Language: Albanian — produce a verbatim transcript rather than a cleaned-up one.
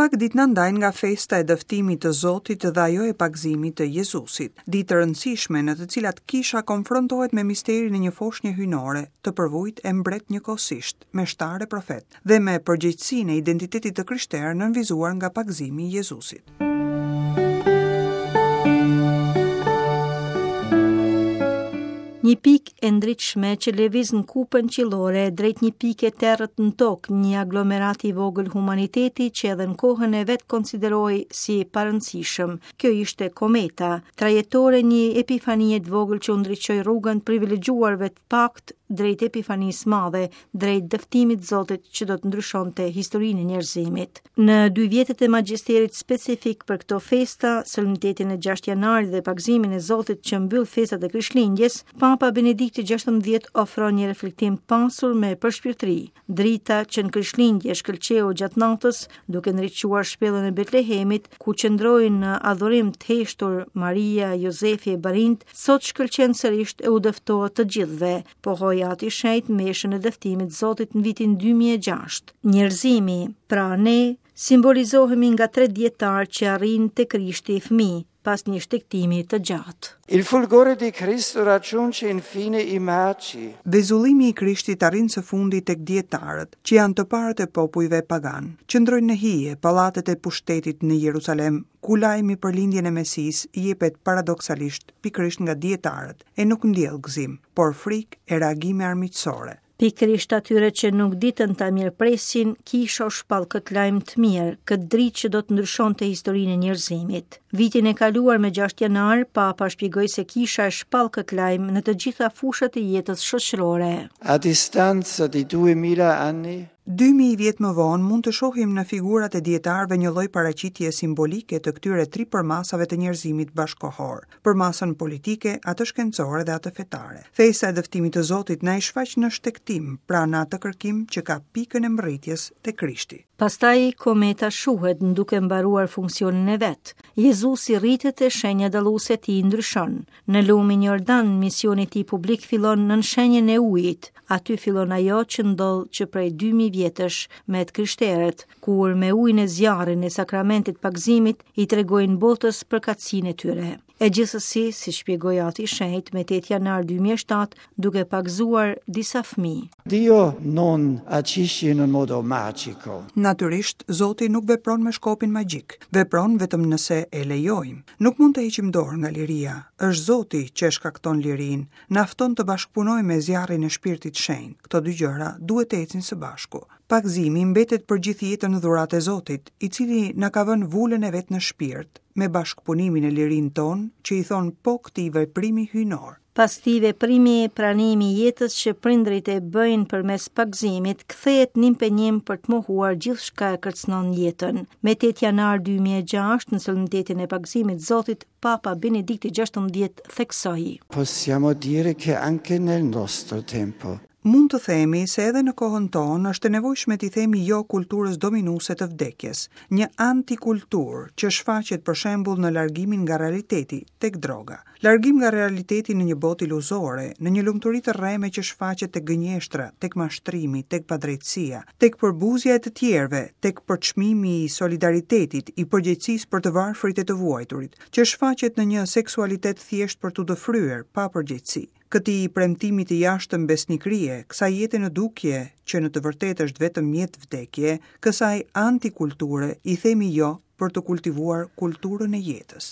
Pak ditë na ndajnë nga festa e dëftimit të Zotit dhe ajo e pagëzimit të Jezusit, ditë të rëndësishme në të cilat kisha konfrontohet me misterin e një foshnje hyjnore, të përvujt e mbret njëkohësisht, meshtar e profet, dhe me përgjegjësinë e identitetit të krishterë nënvizuar nga pagëzimi i Jezusit. Një pikë e ndritshme që lëviz në kupën qiellore drejt një pike terrët në tokë, një aglomerat i vogël humaniteti që edhe në kohën e vet konsiderohej si i parëndësishëm. Kjo ishte kometa, trajektore një epifanie të vogël që u ndriçoi rrugën privilegjuarve të paktë drejt epifanisë madhe, drejt dëftimit Zotit që do të ndryshonte historinë e njerëzimit. Në dy vjetët e magjisterit specifik për këto festa, solemnitetin e gjashtë janarit dhe pagëzimin e Zotit që mbyll festat e Krishtlindjes, Papa Benedikti gjashtëmbëdhjetë ofron një reflektim pasur me përshpirtëri. Drita që në Krishtlindje shkëlqeu gjatë natës, duke ndriçuar shpellën e Betlehemit, ku qëndrojnë në adhurim të heshtur Maria, Jozefi e Barint, sot shkëlqen sërish e u dëftohet të gjithëve, pohoi Ati i Shenjtë meshën e dëftimit Zotit në vitin dy mijë e gjashtë. Njerëzimi, pra ne, simbolizohemi nga tre dietar që arrin te Krishti fëmijë, pas një shtegtimi të gjatë. Il fulgore di Cristo raggiunge infine i magi. Vezullimi i Krishtit arrin së fundi tek dietarët, që janë të parët e popujve pagan. Qëndrojnë në hije pallatet e pushtetit në Jerusalem, ku lajmi për lindjen e Mesisë jepet paradoksalisht pikërisht nga dietarët e nuk ndjell gëzim, por frikë e reagime armiqësore. Pikërisht atyre që nuk ditën ta mirëpresin, kisha u shpall këtë lajm të mirë, këtë dritë që do të ndryshonte historinë e njerëzimit. Vitin e kaluar me gjashtë janar, Papa shpjegoi se kisha e shpall këtë lajm në të gjitha fushat e jetës shoqërore. A distanza di duemila anni, Dy mijë vjet më vonë mund të shohim në figurat e dietarëve një lloj paraqitje simbolike të këtyre tri përmasave të njerëzimit bashkohor, përmasën politike, atë shkencore dhe atë fetare. Festa e dëftimit të Zotit na i shfaq në shtegtim, pra në atë kërkim që ka pikën e mbërritjes te Krishti. Pastaj kometa shuhet duke mbaruar funksionin e vet. Jezusi rritet e shenja dalluese e tij ndryshon. Në lumin Jordan, misioni i tij publik fillon nën shenjën e ujit. Aty fillon ajo që ndodh që prej dy mijë vjetësh me të krishterët, kur me ujin e zjarrin e sakramentit pagëzimit i tregojnë botës përkatësinë e tyre. E gjithsesi, si shpjegoi Ati i Shenjtë me tetë janar dy mijë e shtatë, duke pagëzuar disa fëmijë. Dio non agisce in un modo magico. Natyrisht, Zoti nuk vepron me shkopin magjik, vepron vetëm nëse e lejojmë. Nuk mund të heqim dorë nga liria. Është Zoti që e shkakton lirinë, na fton të bashkëpunojmë me zjarrin e Shpirtit Shenjt. Këto dy gjëra duhet të ecin së bashku. Pagëzimi mbetet për gjithë jetën dhuratë e Zotit, i cili na ka vënë vulën e vet në shpirt, me bashkëpunimin e lirinë tonë, që i thon po këtij veprimi hyjnor. Pas këtij veprimi, pranimi i jetës që prindrit e bëjnë përmes pagëzimit kthehet në impenjim për të mohuar gjithçka e kërcënon jetën. Me tetë janar dy mijë e gjashtë, në solemnitetin e pagëzimit Zotit, Papa Benedikti gjashtëmbëdhjetë theksoi: Possiamo dire che anche nel nostro tempo Mund të themi se edhe në kohën tonë është e nevojshme t'i themi jo kulturës dominuese të vdekjes, një antikulturë që shfaqet për shembull në largimin nga realiteti tek droga. Largim nga realiteti në një botë iluzore, në një lumturi të rreme që shfaqet tek gënjeshtra, tek mashtrimi, tek padrejtësia, tek përbuzja e të tjerëve, tek përçmimi i solidaritetit, i përgjegjësisë për të varfrit e të vuajturit, që shfaqet në një seksualitet thjesht për t'u dëfryer pa përgjegjësi. Këtij premtimi të jashtëm besnikrie, kësaj jete në dukje që në të vërtetë është vetëm mjet vdekje, kësaj antikulture i themi jo për të kultivuar kulturën e jetës.